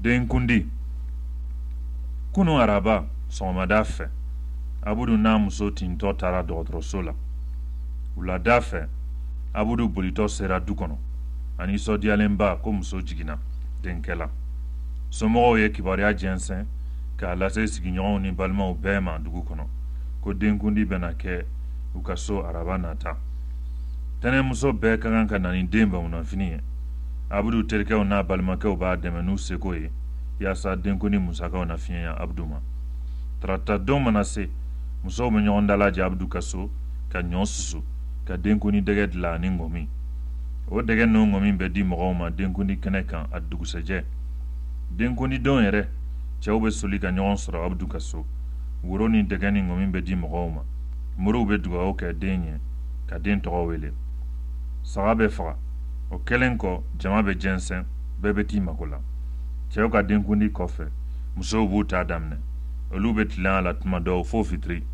Denkundi. Kunun araba sɔgɔmada fɛ, Abudu n'a muso tintɔ taara dɔgɔtɔrɔso la. Wulada fɛ, Abudu bolitɔ sera du kɔnɔ, a nisɔndiyalenba ko muso jiginna denkɛ la. Somɔgɔw ye kibaruya jɛnsɛn k'a lase sigiɲɔgɔnw ni balimaw bɛɛ ma dugu kɔnɔ ko denkundi bɛna kɛ u ka so araba nata. Tɛnɛmuso bɛɛ ka kan ka na ni den bamunanfini ye. Abudu terikɛw n'a balimakɛw b'a dɛmɛ n'u seko ye yaasa denkundi musakaw na fiɲɛya Abudu ma. Tarata don mana se, musow bɛ ɲɔgɔn dalajɛ Abudu ka so ka ɲɔ susu ka denkundi dɛgɛ dilan ani ŋɔmi. O dɛgɛ n'o ŋɔmi bɛ di mɔgɔw ma denkundi kɛnɛ kan a dugusɛjɛ. Denkundi don yɛrɛ, cɛw bɛ soli ka ɲɔgɔn sɔrɔ Abudu ka so. Woro ni dɛgɛ ni ŋɔmi bɛ di mɔgɔw ma. Moriw bɛ dugawu kɛ den ye ka den tɔgɔ wele. Saga bɛ faga. O kɛlen kɔ, jama bɛ jɛnsɛn, bɛɛ bɛ t'i mako la. Cɛw ka denkundi kɔfɛ, musow b'u ta daminɛ. Olu bɛ tilen a la tuma dɔw fo fitiri.